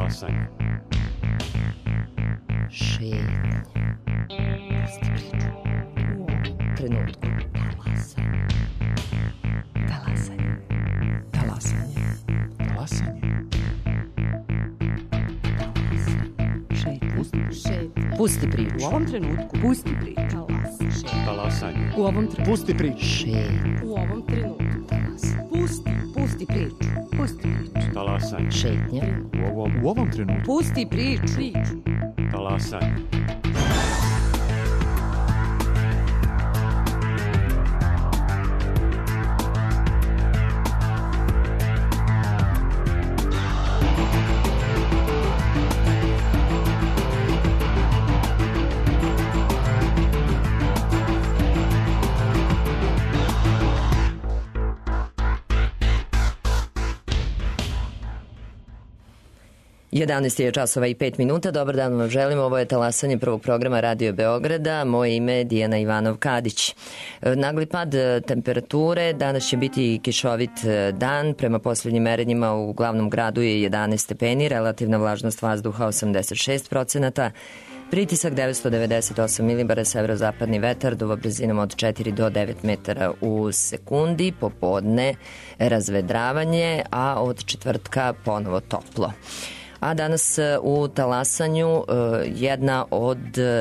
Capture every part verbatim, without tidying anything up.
Talasanje. Šetnje. Pusti priču. U ovom trenutku. Talasanje. Talasanje. Talasanje. Šetnje. Pusti priču. U ovom trenutku. Pusti priču. Talasanje. U ovom trenutku. Pusti priču. Šetnje. U ovom trenutku. Pusti. Pusti priču. Pusti priču. Talasanje. Šetnje. U ovom, u ovom trenutku. Pusti priču. Priču. Talasanje. jedanaest je časova i pet minuta. Dobar dan vam želim. Ovo je talasanje prvog programa Radio Beograda. Moje ime je Dijana Ivanov-Kadić. Nagli pad temperature. Danas će biti kišovit dan. Prema poslednjim merenjima u glavnom gradu je jedanaest stepeni. Relativna vlažnost vazduha osamdeset šest procenata. Pritisak devetsto devedeset osam milibara, severozapadni vetar, duva brzinom od četiri do devet metara u sekundi, popodne razvedravanje, a od četvrtka ponovo toplo. A danas u talasanju jedna od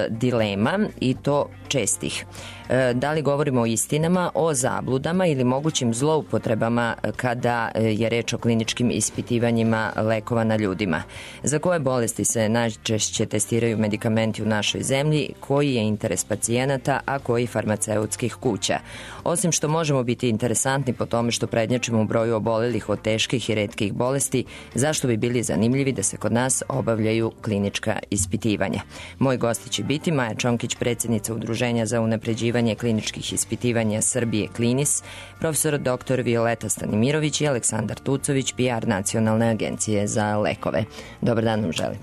dilema, i to čestih. Da li govorimo o istinama, o zabludama ili mogućim zloupotrebama kada je reč o kliničkim ispitivanjima lekova na ljudima? Za koje bolesti se najčešće testiraju medikamenti u našoj zemlji? Koji je interes pacijenata, a koji farmaceutskih kuća? Osim što možemo biti interesantni po tome što prednjačimo u broju obolelih od teških i retkih bolesti, zašto bi bili zanimljivi da se kod nas obavljaju klinička ispitivanja? Moj gosti će biti Maja Čonkić, predsjednica Udruženja za unapređivanje kliničkih ispitivanja Srbije Klinis, profesor doktor Violeta Stanimirović i Aleksandar Tucović, P R Nacionalne agencije za lekove. Dobar dan vam želim.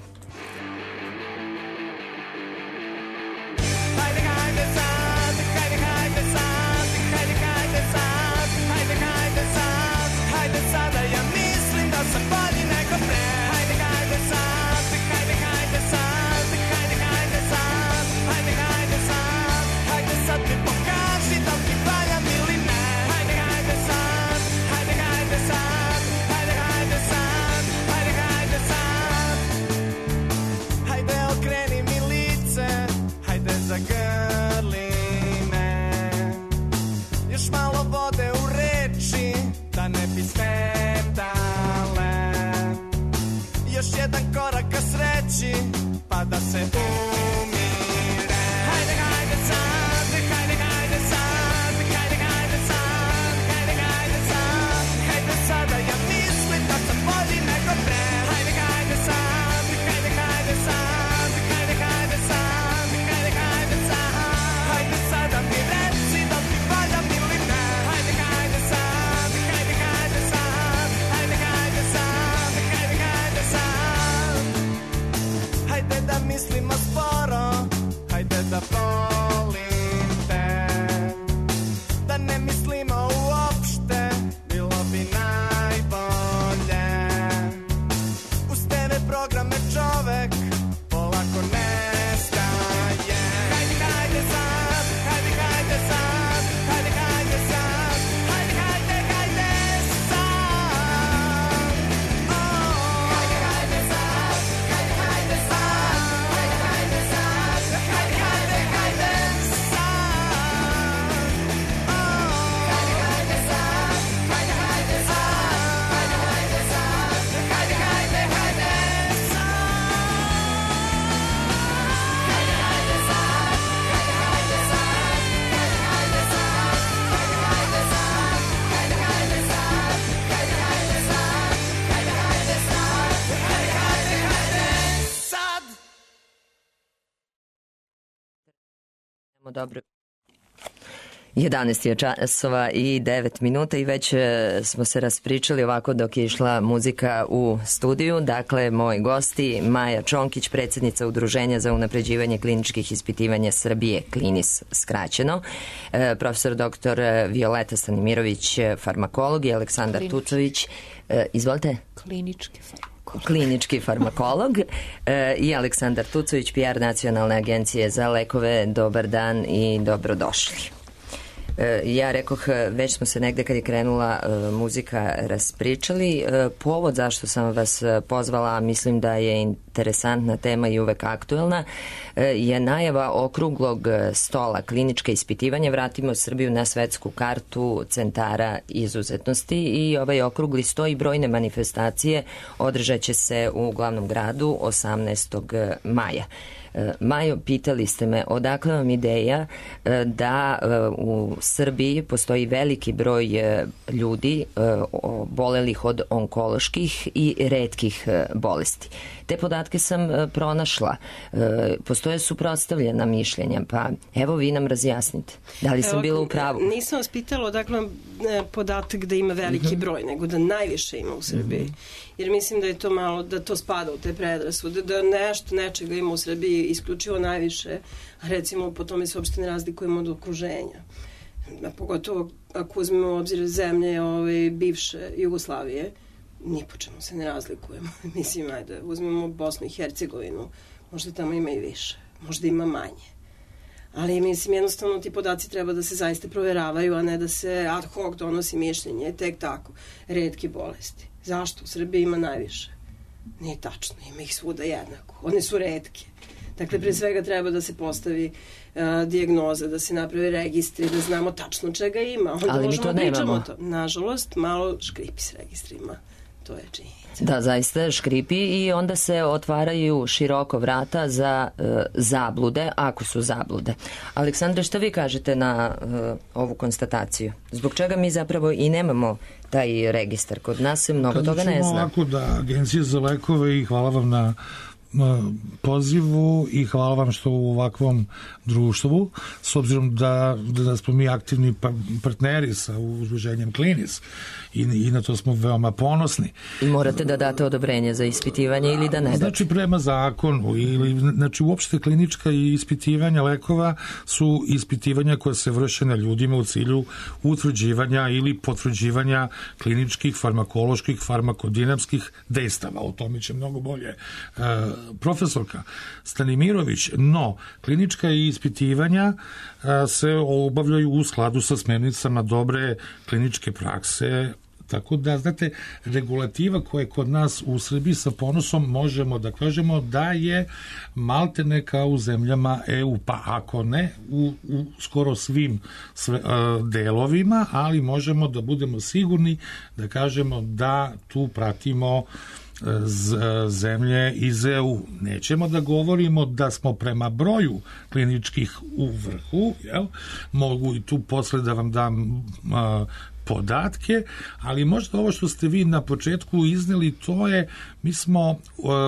Pa da se umire. Hajde, hajde sad, hajde, hajde sad, hajde, hajde sad, hajde, hajde sad, hajde sada, ja mislim da sam bolji nego pre. Hajde, hajde sad, hajde, hajde sad, hajde, hajde sad, hajde, hajde sad, hajde sada mi reci da ti valjam ili ne. Hajde, hajde sad, hajde, hajde sad, hajde, hajde sad, hajde, hajde sad. Hajde da mislimo sporo, hajde da volim te. Da ne mislimo uopšte, bilo bi najbolje. Uz te ve programe čovek polako nestaje. Hajde, hajde sad, hajde, hajde sad, hajde, hajde sad, hajde, hajde, hajde sad. Oh. Hajde, hajde sad, hajde, hajde sad. Dobro. jedanaest je časova i devet minuta i već smo se raspričali ovako dok je išla muzika u studiju. Dakle, moji gosti Maja Čonkić, predsjednica Udruženja za unapređivanje kliničkih ispitivanja Srbije, Klinis skraćeno, profesor doktor Violeta Stanimirović, farmakolog, i Aleksandar Klinički. Tucović. Izvolite. Klinički farmakolog. klinički farmakolog, e, i Aleksandar Tucović, P R Nacionalne agencije za lekove. Dobar dan i dobrodošli. Ja rekoh, već smo se negde kad je krenula uh, muzika raspričali. Uh, povod zašto sam vas pozvala, mislim da je interesantna tema i uvek aktuelna, uh, je najava okruglog stola kliničke ispitivanja. Vratimo Srbiju na svetsku kartu centara izuzetnosti i ovaj okrugli sto i brojne manifestacije održat će se u glavnom gradu osamnaestog maja. Majo, pitali ste me odakle vam ideja da u Srbiji postoji veliki broj ljudi obolelih od onkoloških i retkih bolesti. Te podatke sam pronašla. Postoje suprotstavljena mišljenja, pa evo vi nam razjasnite. Da li sam evo, bila u pravu? Nisam vas pitala odakle vam podatak da ima veliki broj, nego da najviše ima u Srbiji. Mm-hmm. Jer mislim da je to malo, da to spada u te predrasude, da nešto, nečega ima u Srbiji isključivo najviše, a recimo po tome se uopšte ne razlikujemo od okruženja. A pogotovo ako uzmemo u obzir zemlje ove, bivše Jugoslavije, ni po čemu se ne razlikujemo. Mislim, ajde, uzmemo Bosnu i Hercegovinu, možda tamo ima i više, možda ima manje. Ali mislim, jednostavno ti podaci treba da se zaista proveravaju, a ne da se ad hoc donosi mišljenje, tek tako, retke bolesti. Zašto? U Srbiji ima najviše. Nije tačno, ima ih svuda jednako. One su retke. Dakle, pre svega treba da se postavi uh, dijagnoza, da se napravi registri, da znamo tačno čega ima. Onda ali mi to nemamo. To. Nažalost, malo škripi s registrima. To je činjenica. Da, zaista škripi i onda se otvaraju široko vrata za uh, zablude, ako su zablude. Aleksandre, šta vi kažete na uh, ovu konstataciju? Zbog čega mi zapravo i nemamo taj registar? Kod nas se mnogo Kad toga ne zna. Ovako da Agencija za lekove, i hvala vam na pozivu i hvala vam što u ovakvom društvu, s obzirom da, da smo mi aktivni partneri sa udruženjem Klinis i, i na to smo veoma ponosni. I morate da date odobrenje za ispitivanje ili da ne date? Znači prema zakonu ili, znači uopšte klinička i ispitivanja lekova su ispitivanja koja se vrše na ljudima u cilju utvrđivanja ili potvrđivanja kliničkih, farmakoloških, farmakodinamskih dejstava. O tome će mnogo bolje uh, profesorka Stanimirović, no klinička ispitivanja a, se obavljaju u skladu sa smernicama dobre kliničke prakse, tako da, znate, regulativa koja je kod nas u Srbiji sa ponosom možemo da kažemo da je maltene kao u zemljama E U, pa ako ne u, u skoro svim sve, a, delovima, ali možemo da budemo sigurni da kažemo da tu pratimo zemlje iz E U. Nećemo da govorimo da smo prema broju kliničkih u vrhu, jel? Mogu i tu posle da vam dam a, podatke, ali možda ovo što ste vi na početku izneli, to je, mi smo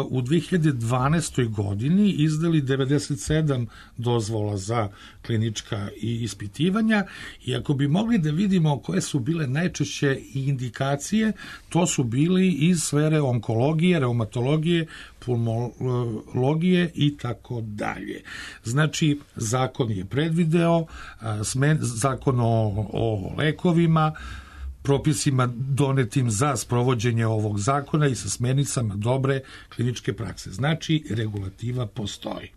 u dve hiljade dvanaestoj godini izdali devedeset sedam dozvola za klinička i ispitivanja i ako bi mogli da vidimo koje su bile najčešće indikacije, to su bili iz sfere onkologije, reumatologije, pulmologije i tako dalje. Znači, zakon je predvideo, smen, zakon o, o lekovima, propisima donetim za sprovođenje ovog zakona i sa smernicama dobre kliničke prakse. Znači, regulativa postoji.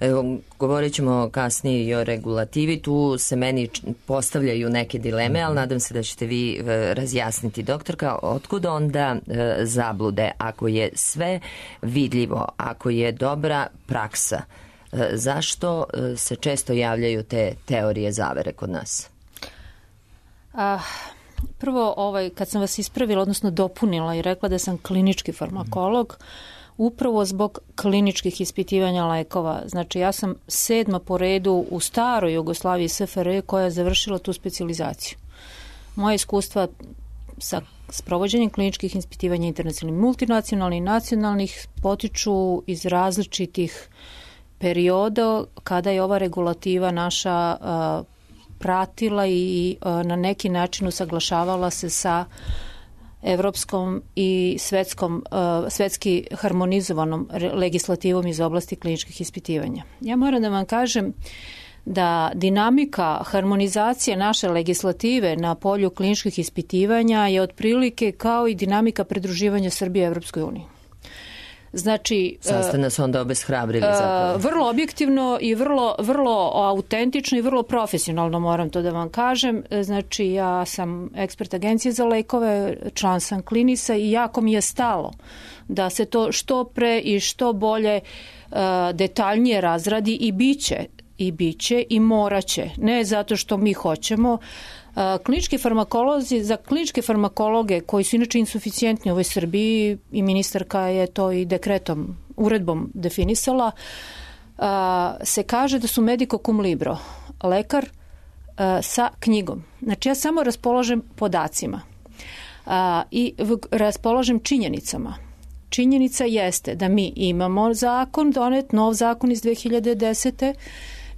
Evo, govorit ćemo kasnije i o regulativi, tu se meni postavljaju neke dileme, ali nadam se da ćete vi razjasniti. Doktorka, otkud onda e, zablude? Ako je sve vidljivo, ako je dobra praksa, e, zašto e, se često javljaju te teorije zavere kod nas? A, prvo, ovaj, kad sam vas ispravila, odnosno dopunila i rekla da sam klinički farmakolog, upravo zbog kliničkih ispitivanja lekova. Znači, ja sam sedma po redu u staroj Jugoslaviji S F R J koja je završila tu specijalizaciju. Moje iskustva sa sprovođenjem kliničkih ispitivanja internacionalnih, multinacionalnih i nacionalnih potiču iz različitih perioda kada je ova regulativa naša uh, pratila i uh, na neki način usaglašavala se sa evropskom i svetskom, uh, svetski harmonizovanom legislativom iz oblasti kliničkih ispitivanja. Ja moram da vam kažem da dinamika harmonizacije naše legislative na polju kliničkih ispitivanja je otprilike kao i dinamika pridruživanja Srbije Evropskoj uniji. Znači, sad ste nas onda obeshrabrili zapravo. Vrlo objektivno i vrlo, vrlo autentično i vrlo profesionalno, moram to da vam kažem. Znači, ja sam ekspert agencije za lekove, član sam Klinisa i jako mi je stalo da se to što pre i što bolje detaljnije razradi i biće i biće i moraće. Ne zato što mi hoćemo. Klinički farmakolozi, za kliničke farmakologe koji su inače insuficijentni u ovoj Srbiji, i ministarka je to i dekretom, uredbom definisala, se kaže da su medico cum libro, lekar sa knjigom. Znači ja samo raspolažem podacima i raspolažem činjenicama. Činjenica jeste da mi imamo zakon, donet nov zakon iz dve hiljade desete.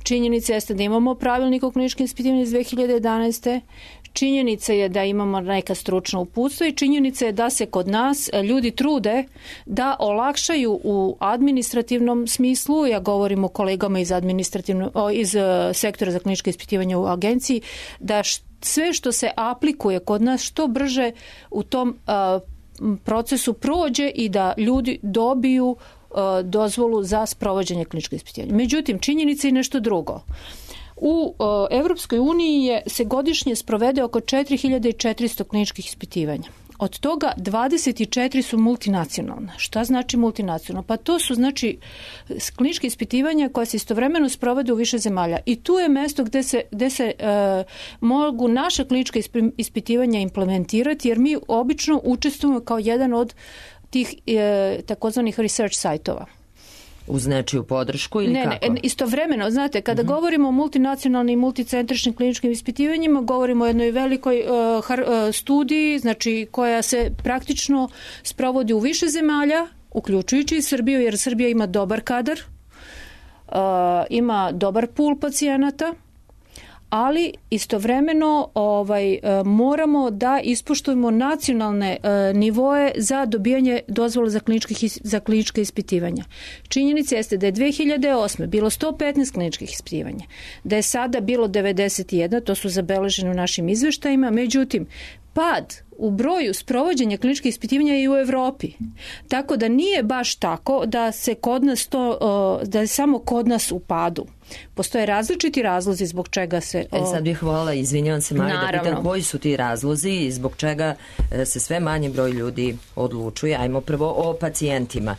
Činjenica jeste da imamo pravilnik o kliničkim ispitivanjima iz dve hiljade jedanaeste. Činjenica je da imamo neka stručna uputstva i činjenica je da se kod nas ljudi trude da olakšaju u administrativnom smislu, ja govorim o kolegama iz, iz sektora za kliničke ispitivanja u agenciji, da sve što se aplikuje kod nas što brže u tom procesu prođe i da ljudi dobiju dozvolu za sprovođenje kliničkog ispitivanja. Međutim, činjenica je nešto drugo. U Evropskoj uniji je, se godišnje sprovede oko četiri hiljade četiristo kliničkih ispitivanja. Od toga dvadeset četiri su multinacionalna. Šta znači multinacionalna? Pa to su znači kliničke ispitivanja koja se istovremeno sprovode u više zemalja. I tu je mesto gde se, gde se e, mogu naša klinička ispitivanja implementirati, jer mi obično učestvujemo kao jedan od tih e, takozvanih research sajtova. Uz nečiju podršku ili ne, kako? Ne, istovremeno, znate, kada mm-hmm. govorimo o multinacionalnim i multicentričnim kliničkim ispitivanjima, govorimo o jednoj velikoj uh, har, uh, studiji, znači koja se praktično sprovodi u više zemalja, uključujući i Srbiju, jer Srbija ima dobar kadar, uh, ima dobar pool pacijenata, ali istovremeno ovaj, moramo da ispoštujemo nacionalne e, nivoe za dobijanje dozvola za, za klinička ispitivanja. Činjenica jeste da je dve hiljade osme bilo sto petnaest kliničkih ispitivanja, da je sada bilo devedeset jedan, to su zabeležene u našim izveštajima, međutim, pad u broju sprovođenja kliničkih ispitivanja je i u Evropi. Tako da nije baš tako da se kod nas to, da je samo kod nas u padu. Postoje različiti razlozi zbog čega se... E sad bih volila, izvinjavam se Mari, da pitam koji su ti razlozi i zbog čega se sve manji broj ljudi odlučuje. Ajmo prvo o pacijentima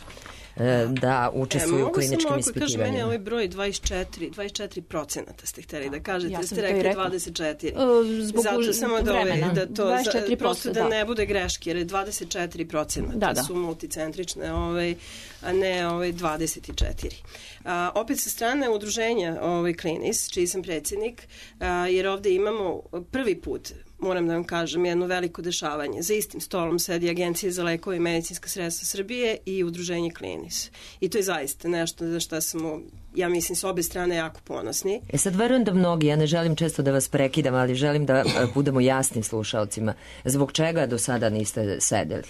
da učestvuju u kliničkim ispitivanjima. Kažem, meni je ovaj broj dvadeset četiri, dvadeset četiri procenata ste hteli da kažete, ja ste rekli dvadeset četiri. Zbog zato samo da, ove, da to, dvadeset četiri posto, prosto da, da ne bude greške, jer je dvadeset četiri procenata da, da. su multicentrične, ovaj, a ne ovaj, dvadeset četiri. A, opet sa strane udruženja ovaj, Klinis, čiji sam predsjednik, a, jer ovde imamo prvi put, moram da vam kažem, jedno veliko dešavanje. Za istim stolom sedi Agencija za lekove i medicinska sredstva Srbije i udruženje Klinis. I to je zaista nešto za što smo, ja mislim, s obe strane jako ponosni. E sad verujem da mnogi, ja ne želim često da vas prekidam, ali želim da budemo jasni slušalcima. Zbog čega do sada niste sedeli?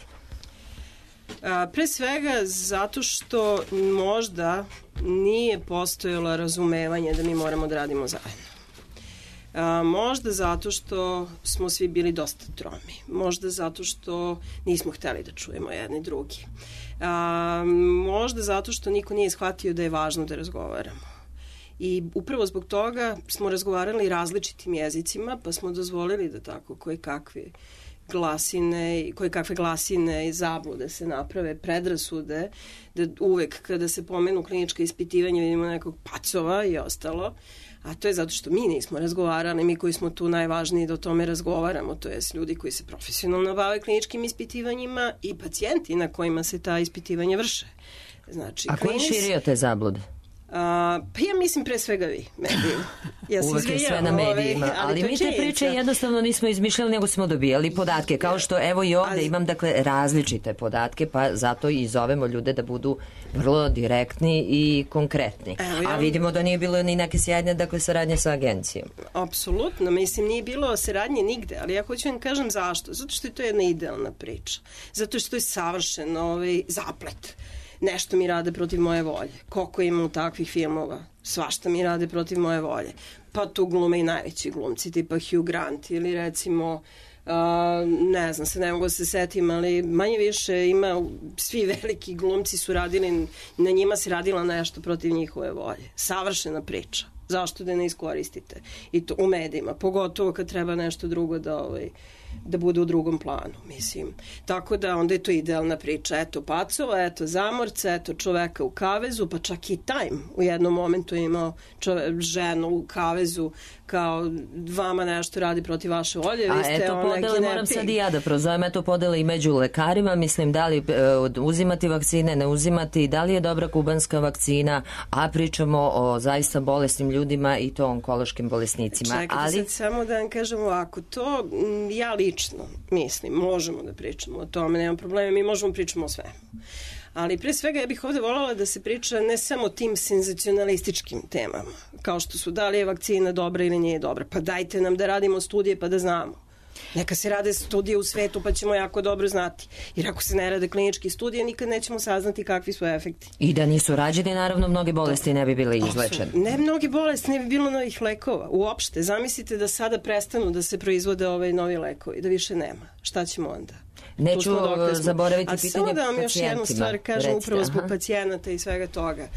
A, pre svega zato što možda nije postojalo razumevanje da mi moramo da radimo zajedno. A, možda zato što smo svi bili dosta tromi. Možda zato što nismo hteli da čujemo jedni drugi. A, možda zato što niko nije shvatio da je važno da razgovaramo. I upravo zbog toga smo razgovarali različitim jezicima, pa smo dozvolili da tako koje kakve glasine, koje kakve glasine i zablude se naprave, predrasude, da uvek kada se pomenu klinička ispitivanja vidimo nekog pacova i ostalo. A to je zato što mi nismo razgovarali, mi koji smo tu najvažniji da o tome razgovaramo, to jest ljudi koji se profesionalno bave kliničkim ispitivanjima i pacijenti na kojima se ta ispitivanja vrše. Znači, a ko je širio te zablude? Uh, pa ja mislim pre svega vi, mediji. Ja uvek je sve na medijima, ali, ali mi te priče jednostavno nismo izmišljali, nego smo dobijali podatke, kao što evo i ovde ali... imam dakle različite podatke, pa zato i zovemo ljude da budu vrlo direktni i konkretni. Evo, ja... A vidimo da nije bilo ni neke sjajne dakle saradnje sa agencijom. Apsolutno, mislim nije bilo saradnje nigde, ali ja hoću vam kažem zašto. Zato što je to jedna idealna priča. Zato što je savršen ovaj zaplet. nešto mi rade protiv moje volje. Koliko ima takvih filmova? Svašta mi rade protiv moje volje. Pa tu glume i najveći glumci, tipa Hugh Grant ili recimo Uh, ne znam, se ne mogu da se setim, ali manje više ima, svi veliki glumci su radili, na njima se radila nešto protiv njihove volje. Savršena priča. Zašto da ne iskoristite? I to u medijima, pogotovo kad treba nešto drugo da, ovaj, da bude u drugom planu, mislim. Tako da onda je to idealna priča. Eto pacova, eto zamorca, eto čoveka u kavezu, pa čak i Time u jednom momentu je imao čove, ženu u kavezu kao vama nešto radi protiv vaše volje. A vi ste eto podele, moram sad i ja da prozovem, eto podele i među lekarima, mislim da li e, uzimati vakcine, ne uzimati, da li je dobra kubanska vakcina, a pričamo o zaista bolesnim ljudima i to onkološkim bolesnicima. Čekajte ali... sad samo da vam kažem ovako, to m, ja lično mislim, možemo da pričamo o tome, nema problema, mi možemo pričamo o svemu. Ali pre svega ja bih ovde voljela da se priča ne samo tim senzacionalističkim temama, kao što su da li je vakcina dobra ili nije dobra, pa dajte nam da radimo studije pa da znamo. Neka se rade studije u svetu pa ćemo jako dobro znati. Jer ako se ne rade klinički studije, nikad nećemo saznati kakvi su efekti. I da nisu rađeni, naravno, mnoge bolesti ne bi bile izlečene. Ne mnogi bolesti, ne bi bilo novih lekova. Uopšte, zamislite da sada prestanu da se proizvode ovaj novi lekovi, da više nema. Šta ćemo onda? Neću zaboraviti pitanje pacijentima. A samo da vam još jednu stvar kažem, recite, upravo zbog aha. pacijenata i svega toga.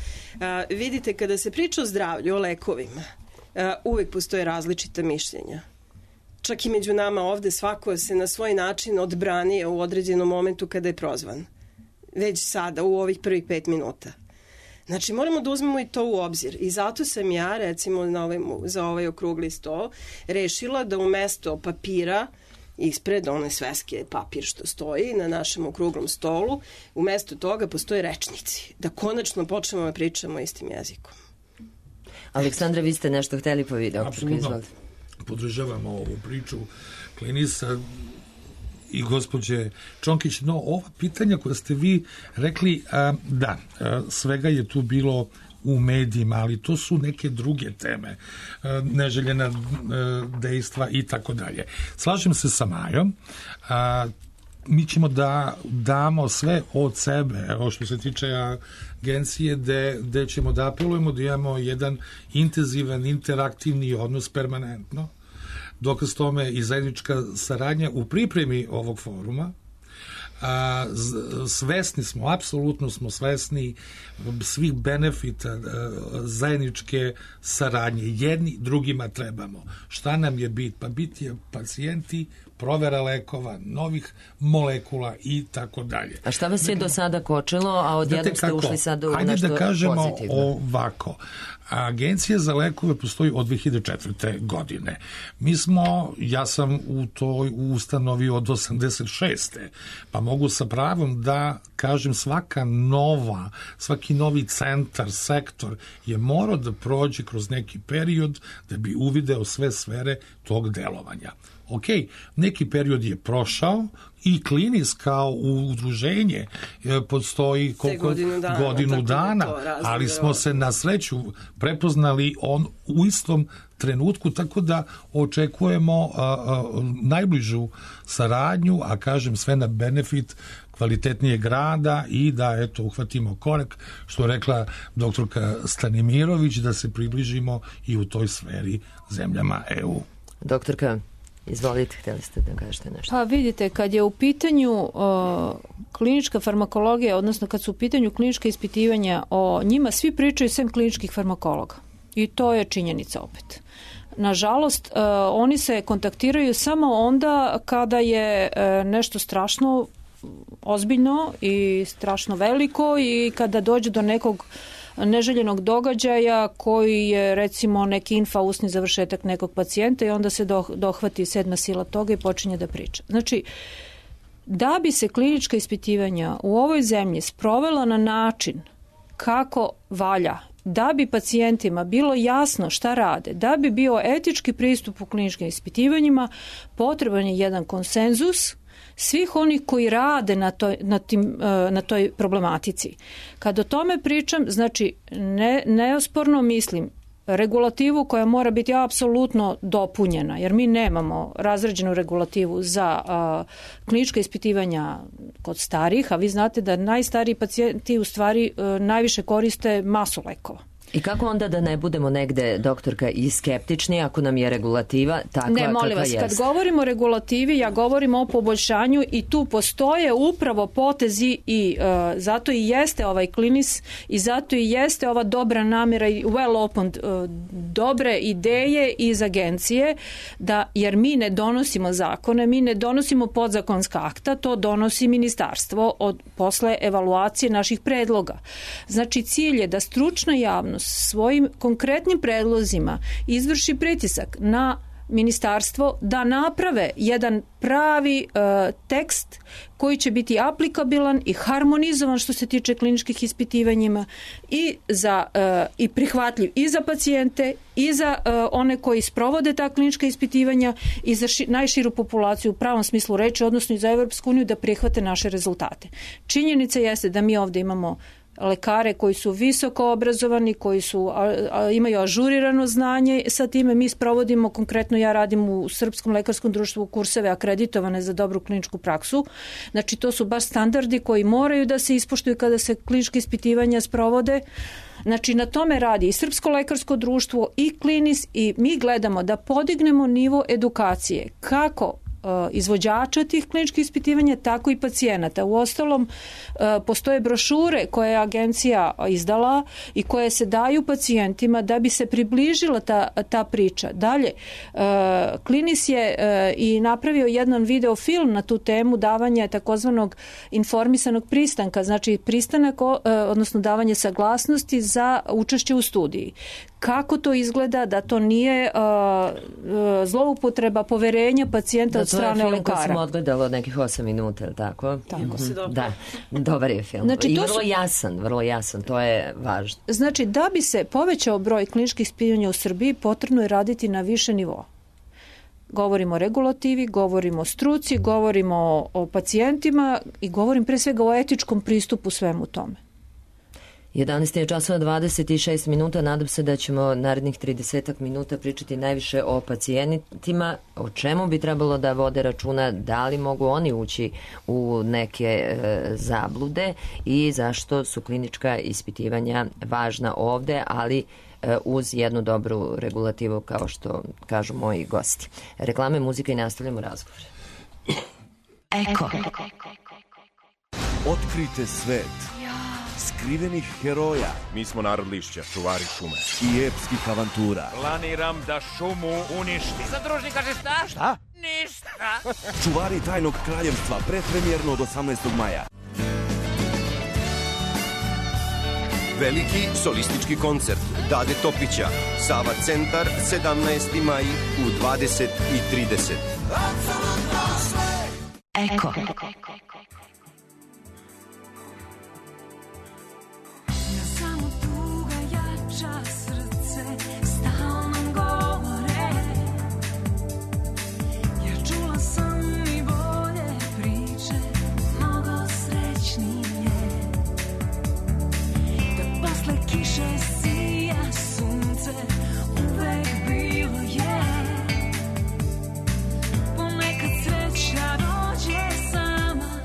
A, vidite, kada se priča o zdravlju, o lekovima, a, uvek postoje različita mišljenja. Čak i među nama ovde svako se na svoj način odbranio u određenom momentu kada je prozvan. Već sada, u ovih prvih pet minuta. Znači, moramo da uzmemo i to u obzir. I zato sam ja, recimo, na ovaj, za ovaj okrugli sto, rešila da umesto papira ispred one sveske papir što stoji na našem okruglom stolu, umesto toga postoje rečnici. Da konačno počnemo da pričamo istim jezikom. Aleksandra, vi ste nešto hteli po video. Apsolutno. Podržavamo ovu priču Klinisa i gospođe Čonkić, no ova pitanja koja ste vi rekli, a, da, a, svega je tu bilo u medijima, ali to su neke druge teme, a, neželjena a, dejstva i tako dalje. Slažem se sa Majom, a, mi ćemo da damo sve od sebe, evo što se tiče agencije, gde, gde ćemo da apelujemo da imamo jedan intenzivan, interaktivni odnos permanentno, dokaz tome i zajednička saradnja u pripremi ovog foruma. A, svesni smo, apsolutno smo svesni svih benefita a, zajedničke saradnje. Jedni drugima trebamo. Šta nam je bit? Pa bit je pacijenti, provera lekova, novih molekula i tako dalje. A šta vas je do sada kočilo, a odjednom ste ušli sad u Ajde nešto da kažemo pozitivno? ovako. Agencija za lekove postoji od dve hiljade četvrte. godine. Mi smo, ja sam u toj ustanovi od osamdeset šeste. Pa mogu sa pravom da kažem svaka nova, svaki novi centar, sektor je morao da prođe kroz neki period da bi uvideo sve sfere tog delovanja. Ok, neki period je prošao i Klinis kao udruženje postoji koliko, godinu dana, godinu dana ali smo se na sreću prepoznali on u istom trenutku, tako da očekujemo a, a, najbližu saradnju, a kažem sve na benefit kvalitetnijeg rada i da eto uhvatimo korak, što je rekla doktorka Stanimirović, da se približimo i u toj sferi zemljama E U. Doktorka, izvolite, htjeli ste da kažete nešto. Pa vidite, kad je u pitanju uh, klinička farmakologija, odnosno kad su u pitanju klinička ispitivanja, o njima svi pričaju sem kliničkih farmakologa. I to je činjenica opet. Nažalost, uh, oni se kontaktiraju samo onda kada je uh, nešto strašno ozbiljno i strašno veliko i kada dođe do nekog neželjenog događaja koji je recimo neki infausni završetak nekog pacijenta i onda se dohvati sedma sila toga i počinje da priča. Znači, da bi se klinička ispitivanja u ovoj zemlji sprovela na način kako valja, da bi pacijentima bilo jasno šta rade, da bi bio etički pristup u kliničkim ispitivanjima, potreban je jedan konsenzus svih onih koji rade na toj, na tim, na toj problematici. Kad o tome pričam, znači ne, neosporno mislim regulativu koja mora biti apsolutno dopunjena, jer mi nemamo razrađenu regulativu za a, klinička ispitivanja kod starih, a vi znate da najstariji pacijenti u stvari a, najviše koriste masu lekova. I kako onda da ne budemo negde, doktorka, i skeptični ako nam je regulativa takva kakva Ne, molim vas, jest? kad govorimo o regulativi, ja govorim o poboljšanju i tu postoje upravo potezi i uh, zato i jeste ovaj klinis i zato i jeste ova dobra namjera i well opened uh, dobre ideje iz agencije, da, jer mi ne donosimo zakone, mi ne donosimo podzakonska akta, to donosi ministarstvo od, posle evaluacije naših predloga. Znači, cilj je da stručna javnost svojim konkretnim predlozima izvrši pritisak na ministarstvo da naprave jedan pravi uh, tekst koji će biti aplikabilan i harmonizovan što se tiče kliničkih ispitivanjima i za uh, i prihvatljiv i za pacijente i za uh, one koji sprovode ta klinička ispitivanja i za ši, najširu populaciju u pravom smislu reči, odnosno i za Evropsku uniju da prihvate naše rezultate. Činjenica jeste da mi ovde imamo lekare koji su visoko obrazovani, koji su, a, a, imaju ažurirano znanje, sa time mi sprovodimo, konkretno ja radim u Srpskom lekarskom društvu kurseve akreditovane za dobru kliničku praksu, znači to su baš standardi koji moraju da se ispoštuju kada se kliničke ispitivanja sprovode. Znači na tome radi i Srpsko lekarsko društvo i klinis i mi gledamo da podignemo nivo edukacije kako izvođača tih kliničkih ispitivanja, tako i pacijenata. U ostalom, postoje brošure koje je agencija izdala i koje se daju pacijentima da bi se približila ta, ta priča. Dalje, klinis je i napravio jedan videofilm na tu temu davanja takozvanog informisanog pristanka, znači pristanak, odnosno davanje saglasnosti za učešće u studiji. Kako to izgleda da to nije uh, uh, zloupotreba poverenja pacijenta da, od strane lekara. To je film koji sam odgledala nekih osam minuta, ili tako? Tako. Mm-hmm. se dobro. Da, dobar je film. Znači, I to vrlo su... jasan, vrlo jasan, to je važno. Znači, da bi se povećao broj kliničkih ispitivanja u Srbiji, potrebno je raditi na više nivoa. Govorimo o regulativi, govorimo o struci, govorimo o, o pacijentima i govorim pre svega o etičkom pristupu svemu tome. jedanaest je časova dvadeset šest minuta, nadam se da ćemo narednih trideset minuta pričati najviše o pacijentima, o čemu bi trebalo da vode računa, da li mogu oni ući u neke e, zablude i zašto su klinička ispitivanja važna ovde, ali e, uz jednu dobru regulativu, kao što kažu moji gosti. Reklame, muzika i nastavljamo razgovor. Eko. Otkrite svet skrivenih heroja. Mi smo narod lišća, čuvari šume. I epskih avantura. Planiram da šumu uništim. Zadružnik kaže šta? Šta? Ništa. Čuvari tajnog kraljevstva, predpremjerno od osamnaestog maja. Veliki solistički koncert Dade Topića, Sava centar, sedamnaesti maj u dvadeset i trideset. Eko. Ponekad sreća dođe sama.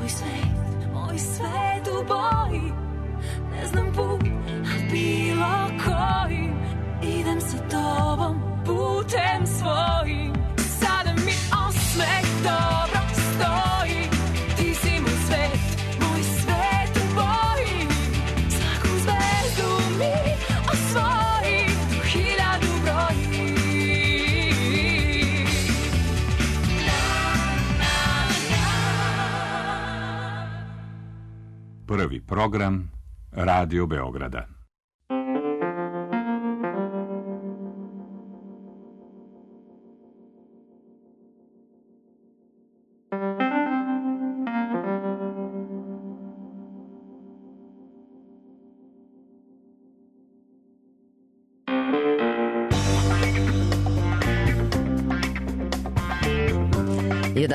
Moj svet, moj svet u boji, ne znam put, a bilo kojim, idem sa tobom putem svojim. Sada mi osmeh dobro stoji, ti si moj svet, moj svet u boji, svaku zvezdu mi osvoji, tu hiljadu broji. Prvi program Radio Beograda.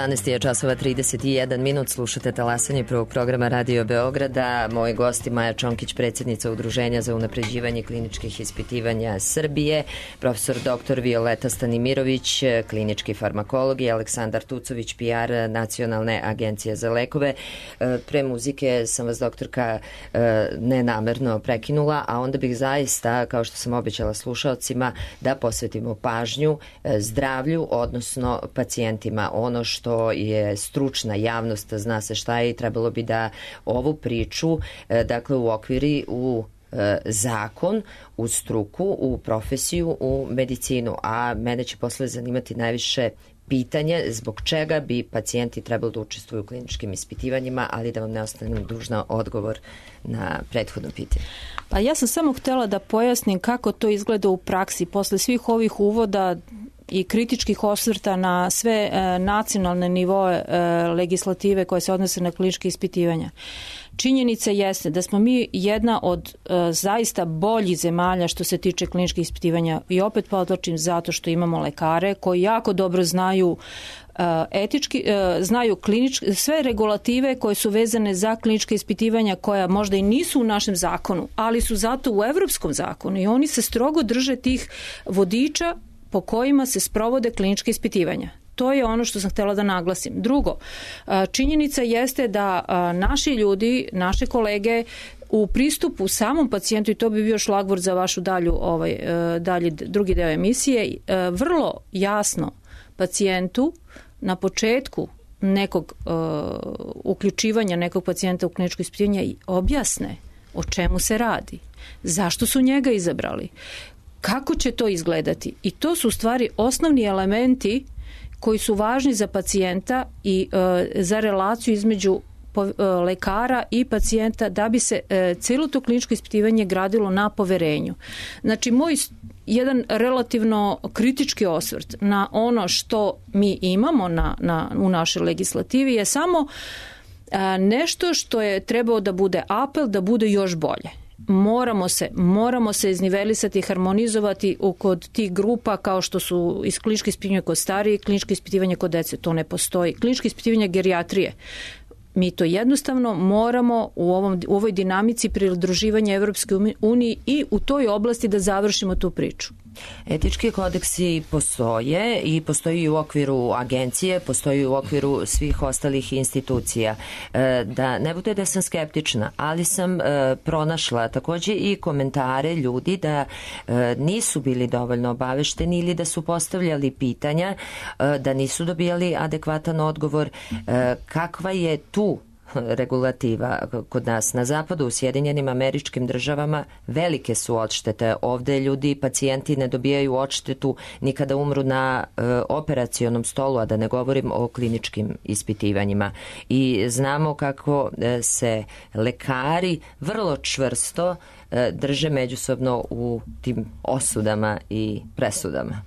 jedanaest je časova trideset jedan minut, slušate talasanje prvog programa Radio Beograda. Moji gosti Maja Čonkić, predsjednica Udruženja za unapređivanje kliničkih ispitivanja Srbije, profesor doktor Violeta Stanimirović, klinički farmakolog, i Aleksandar Tucović, P R Nacionalne agencije za lekove. Pre muzike sam vas, doktorka, nenamerno prekinula, a onda bih zaista, kao što sam obećala slušalcima, da posvetimo pažnju zdravlju, odnosno pacijentima. Ono što je stručna javnost, zna se šta je, i trebalo bi da ovu priču, dakle, u okviri u zakon, u struku, u profesiju, u medicinu. A mene će posle zanimati najviše pitanje zbog čega bi pacijenti trebali da učestvuju u kliničkim ispitivanjima, ali da vam ne ostanem dužna odgovor na prethodno pitanje. Pa ja sam samo htela da pojasnim kako to izgleda u praksi. Posle svih ovih uvoda i kritičkih osvrta na sve e, nacionalne nivoe e, legislative koje se odnose na kliničke ispitivanja. Činjenica jeste da smo mi jedna od e, zaista boljih zemalja što se tiče kliničkih ispitivanja, i opet podvlačim zato što imamo lekare koji jako dobro znaju etički, znaju kliničke, sve regulative koje su vezane za kliničke ispitivanja, koja možda i nisu u našem zakonu, ali su zato u evropskom zakonu, i oni se strogo drže tih vodiča po kojima se sprovode kliničke ispitivanja. To je ono što sam htjela da naglasim. Drugo, činjenica jeste da naši ljudi, naše kolege u pristupu samom pacijentu, i to bi bio šlagvort za vašu dalju, ovaj, dalji drugi deo emisije, vrlo jasno pacijentu na početku nekog uh, uključivanja nekog pacijenta u kliničko ispitivanje objasne o čemu se radi, zašto su njega izabrali, kako će to izgledati. I to su u stvari osnovni elementi koji su važni za pacijenta i uh, za relaciju između uh, lekara i pacijenta, da bi se uh, cijelo to kliničko ispitivanje gradilo na poverenju. Znači, moj jedan relativno kritički osvrt na ono što mi imamo na, na, u našoj legislativi je samo a, nešto što je trebao da bude apel, da bude još bolje. Moramo se, moramo se iznivelisati, harmonizovati u, kod tih grupa kao što su iz kliničke ispitivanja kod starije, kliničke ispitivanja kod dece. To ne postoji. Kliničke ispitivanja gerijatrije. Mi to jednostavno moramo u, ovom, u ovoj dinamici pridruživanja Evropske unije i u toj oblasti da završimo tu priču. Etički kodeksi postoje i postoji u okviru agencije, postoji u okviru svih ostalih institucija. Da ne bude da sam skeptična, ali sam pronašla takođe i komentare ljudi da nisu bili dovoljno obavešteni ili da su postavljali pitanja, da nisu dobijali adekvatan odgovor. Kakva je tu regulativa kod nas na zapadu, u Sjedinjenim Američkim Državama? Velike su odštete. Ovde ljudi, pacijenti ne dobijaju odštetu ni kada umru na e, operacionom stolu, a da ne govorim o kliničkim ispitivanjima. I znamo kako e, se lekari vrlo čvrsto e, drže međusobno u tim osudama i presudama.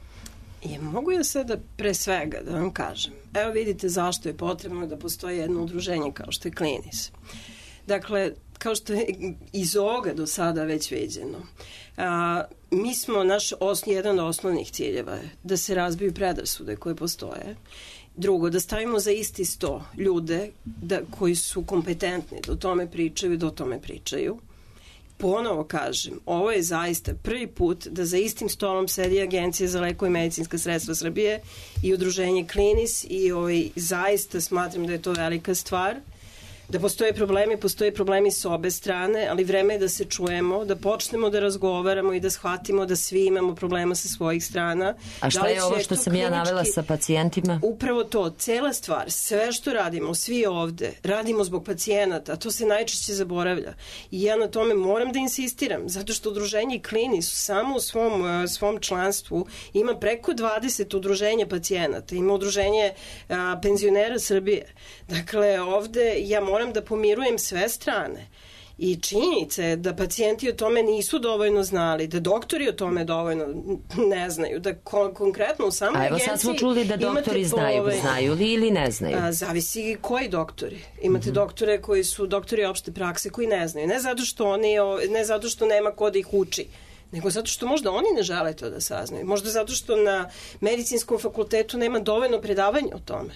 Je, mogu ja sada pre svega da vam kažem. Evo vidite zašto je potrebno da postoji jedno udruženje kao što je Klinis. Dakle, kao što je iz ovoga do sada već viđeno, a, mi smo, naš os, jedan od osnovnih ciljeva je da se razbiju predrasude koje postoje. Drugo, da stavimo za isti sto ljude da, koji su kompetentni da o tome pričaju i da o tome pričaju. Ponovo kažem, ovo je zaista prvi put da za istim stolom sedi Agencija za lekove i medicinska sredstva Srbije i udruženje Klinis, i ovaj, zaista smatram da je to velika stvar. Da postoje problemi, postoje problemi s obe strane, ali vreme je da se čujemo, da počnemo da razgovaramo i da shvatimo da svi imamo problema sa svojih strana. A šta da je ovo što sam ja navela sa pacijentima? Upravo to, cela stvar, sve što radimo, svi ovde, radimo zbog pacijenata, a to se najčešće zaboravlja. I ja na tome moram da insistiram, zato što udruženje Klini su samo u svom, svom članstvu, ima preko dvadeset udruženja pacijenata, ima udruženje a, penzionera Srbije. Dakle, ovde ja moram da pomirujem sve strane. I činjenica je da pacijenti o tome nisu dovoljno znali, da doktori o tome dovoljno ne znaju, da kon konkretno u samoj agenciji... A evo sad smo čuli da doktori znaju, ovaj, znaju li ili ne znaju? A, zavisi koji doktori. Imate mm-hmm. doktore koji su doktori opšte prakse koji ne znaju. Ne zato što, oni, ne zato što nema ko da ih uči, nego zato što možda oni ne žele to da saznaju. Možda zato što na medicinskom fakultetu nema dovoljno predavanja o tome.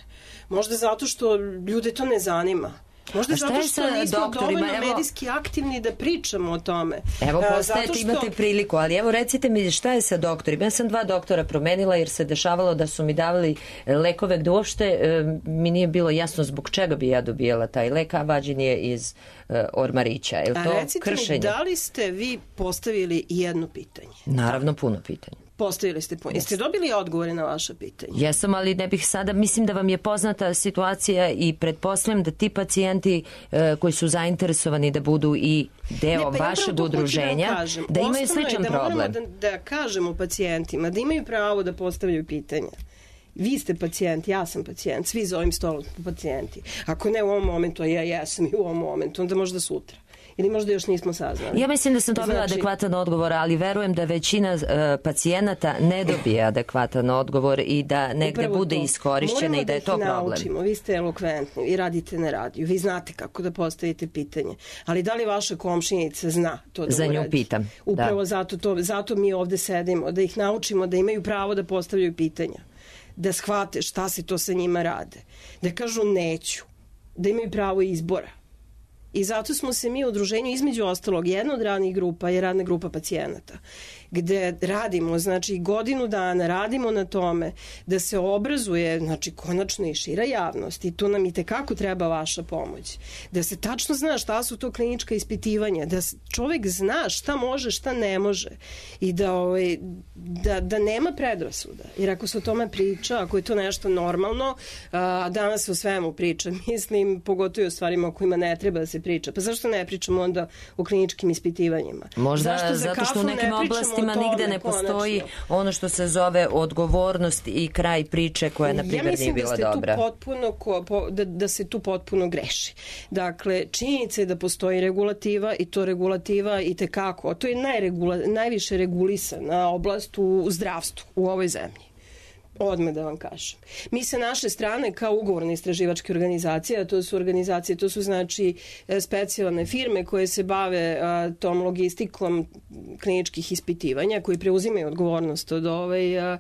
Možda zato što ljude to ne zanima. Možda zato što nismo dovoljno evo, medijski aktivni da pričamo o tome. Evo, postajete, što... imate priliku, ali evo recite mi šta je sa doktorima. Ja sam dva doktora promenila jer se dešavalo da su mi davali lekove gde uopšte e, mi nije bilo jasno zbog čega bi ja dobijala taj lek, a vađen je iz e, ormarića. Je li to a recite kršenje? Mi, da li ste vi postavili jedno pitanje? Naravno, puno pitanja. Postavili ste puno. Jeste dobili odgovore na vaše pitanje? Jesam, ali ne bih sada, mislim da vam je poznata situacija i pretpostavljam da ti pacijenti e, koji su zainteresovani da budu i deo ne, pa vašeg ja udruženja, da, kažem, da imaju sličan da problem. Da, da kažemo pacijentima da imaju pravo da postavljaju pitanja. Vi ste pacijent, ja sam pacijent, svi za ovim stolom pacijenti. Ako ne u ovom momentu, a ja jesam i u ovom momentu, onda možda sutra. Ili možda još nismo saznali. Ja mislim da sam dobila znači... adekvatan odgovor, ali verujem da većina uh, pacijenata ne dobije adekvatan odgovor i da negde upravo bude to. Iskorišćena i da je to problem. Moramo da ih naučimo. Vi ste elokventni i radite na radiju. Vi znate kako da postavite pitanje. Ali da li vaša komšinica zna to da za uradi? Nju pitam. Upravo da. zato, to, zato mi ovde sedimo. Da ih naučimo da imaju pravo da postavljaju pitanja. Da shvate šta se to sa njima rade. Da kažu neću. Da imaju pravo izbora. I zato smo se mi u udruženju, između ostalog, jedna od radnih grupa je radna grupa pacijenata, gde radimo, znači godinu dana radimo na tome da se obrazuje, znači konačno i šira javnost i tu nam i tekako treba vaša pomoć. Da se tačno zna šta su to klinička ispitivanja, da čovek zna šta može, šta ne može i da, ovaj, da, da nema predrasuda. Jer ako se o tome priča, ako je to nešto normalno, a danas o svemu priča, mislim, pogotovo o stvarima o kojima ne treba da se priča. Pa zašto ne pričamo onda o kliničkim ispitivanjima? Možda zašto zato što u nekim oblastima nigde ne postoji konačno ono što se zove odgovornost i kraj priče koja, na primjer, nije bila da dobra. Potpuno, da, da se tu potpuno greši. Dakle, činjenica je da postoji regulativa i to regulativa i tekako. To je najregula, najviše regulisana oblast u zdravstvu u ovoj zemlji. Odmah da vam kažem. Mi sa naše strane kao ugovorne istraživačke organizacije, a to su organizacije, to su znači specijalne firme koje se bave a, tom logistikom kliničkih ispitivanja, koji preuzimaju odgovornost od ovaj, a,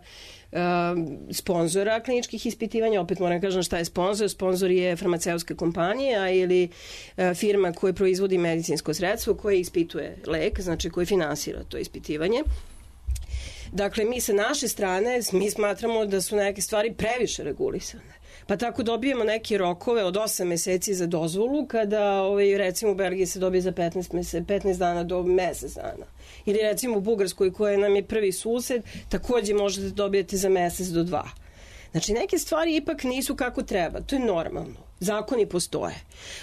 a, sponzora kliničkih ispitivanja. Opet moram kažem šta je sponzor. Sponzor je farmaceutska kompanija ili a, firma koja proizvodi medicinsko sredstvo koje ispituje lek, znači koje finansira to ispitivanje. Dakle, mi sa naše strane, mi smatramo da su neke stvari previše regulisane. Pa tako dobijemo neke rokove od osam meseci za dozvolu, kada ovaj, recimo u Belgiji se dobije za petnaest, mese, petnaest dana do mesec dana. Ili recimo u Bugarskoj, koja nam je prvi sused, takođe možete dobijete za mesec do dva. Znači, neke stvari ipak nisu kako treba. To je normalno. Zakoni postoje.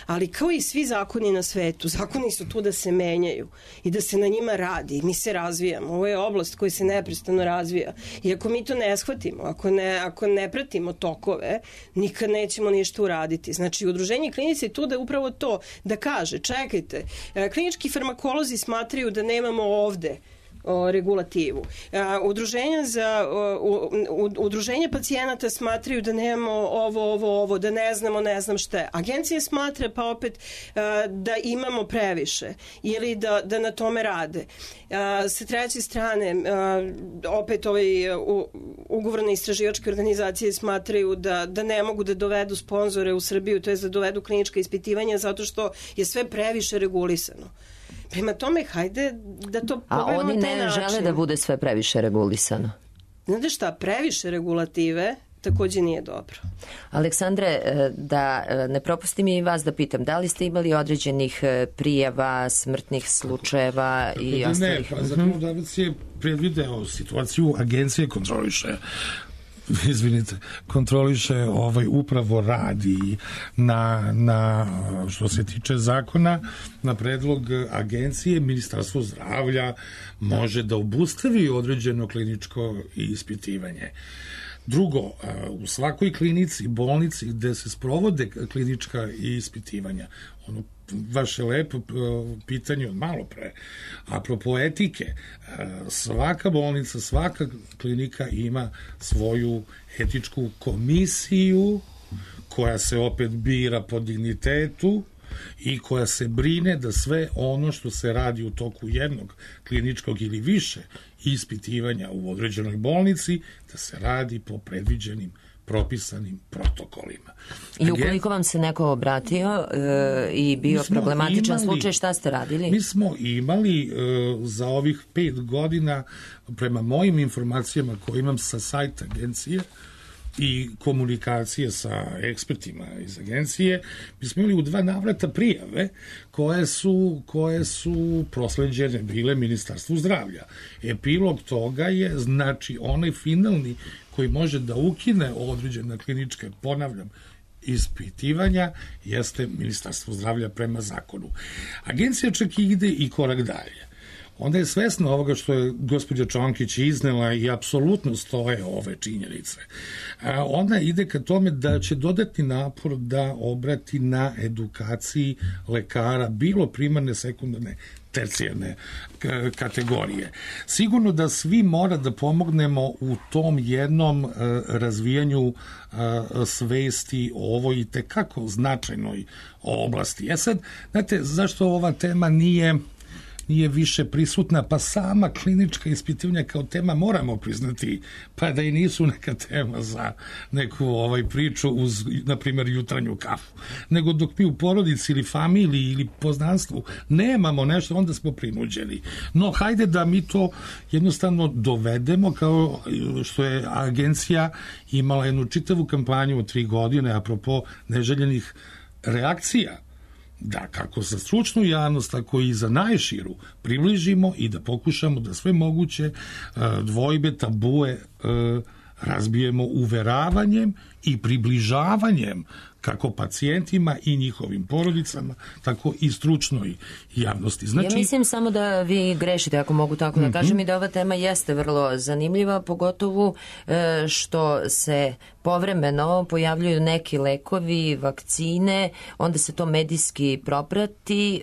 Ali kao i svi zakoni na svetu, zakoni su tu da se menjaju i da se na njima radi. Mi se razvijamo. Ovo je oblast koja se neprestano razvija. I ako mi to ne shvatimo, ako ne, ako ne pratimo tokove, nikad nećemo ništa uraditi. Znači, udruženje klinice je tu da je upravo to, da kaže, čekajte, klinički farmakolozi smatraju da nemamo ovde o, regulativu. A, udruženja za o, u, udruženja pacijenata smatraju da nemamo ovo, ovo, ovo, da ne znamo, ne znam šta. Agencija smatra pa opet a, da imamo previše ili da, da na tome rade. A, sa treće strane, a, opet ovaj, u, ugovorne istraživačke organizacije smatraju da, da ne mogu da dovedu sponzore u Srbiju, to je da dovedu klinička ispitivanja zato što je sve previše regulisano. Prema tome, hajde da to pogledamo na taj način. A oni ne žele da bude sve previše regulisano? Znate šta, previše regulative takođe nije dobro. Aleksandre, da ne propustim i vas da pitam, da li ste imali određenih prijava, smrtnih slučajeva i ne, ostalih? Ne, pa zakonodavac je predvideo situaciju, agencije kontroliše izvinite, kontroliše ovaj upravo radi na, na što se tiče zakona, na predlog agencije Ministarstvo zdravlja može da obustavi određeno kliničko ispitivanje. Drugo, u svakoj klinici, bolnici gde se sprovode klinička ispitivanja, ono vaše lepo pitanje od malo pre, apropo etike, svaka bolnica, svaka klinika ima svoju etičku komisiju koja se opet bira po dignitetu i koja se brine da sve ono što se radi u toku jednog kliničkog ili više ispitivanja u određenoj bolnici, da se radi po predviđenim propisanim protokolima. I ukoliko vam se neko obratio e, i bio problematičan imali, slučaj, šta ste radili? Mi smo imali e, za ovih pet godina, prema mojim informacijama koje imam sa sajta agencije i komunikacije sa ekspertima iz agencije, mi smo imali u dva navrata prijave koje su, koje su prosleđene bile Ministarstvu zdravlja. Epilog toga je, znači, onaj finalni koji može da ukine određena klinička, ponavljam, ispitivanja, jeste Ministarstvo zdravlja prema zakonu. Agencija čak ide i korak dalje. Onda je svesna ovoga što je gospođa Čonkić iznela i apsolutno stoje ove činjenice. Onda ide ka tome da će dodatni napor da obrati na edukaciji lekara, bilo primarne, sekundarne, tercijarne kategorije. Sigurno da svi mora da pomognemo u tom jednom razvijanju svesti o ovoj i tekako značajnoj oblasti. E sad, znate, zašto ova tema nije nije više prisutna, pa sama klinička ispitivanja kao tema moramo priznati, pa da i nisu neka tema za neku ovaj priču uz, na primjer, jutranju kafu. Nego dok mi u porodici ili familiji ili poznanstvu nemamo nešto, onda smo prinuđeni. No, hajde da mi to jednostavno dovedemo, kao što je agencija imala jednu čitavu kampanju od tri godine, apropo neželjenih reakcija, da kako za stručnu javnost, tako i za najširu približimo i da pokušamo da sve moguće dvojbe, tabue razbijemo uveravanjem i približavanjem kako pacijentima i njihovim porodicama, tako i stručnoj javnosti. Znači, ja mislim samo da vi grešite, ako mogu tako da kažem, mm-hmm. i da ova tema jeste vrlo zanimljiva, pogotovo što se povremeno pojavljuju neki lekovi, vakcine, onda se to medijski proprati,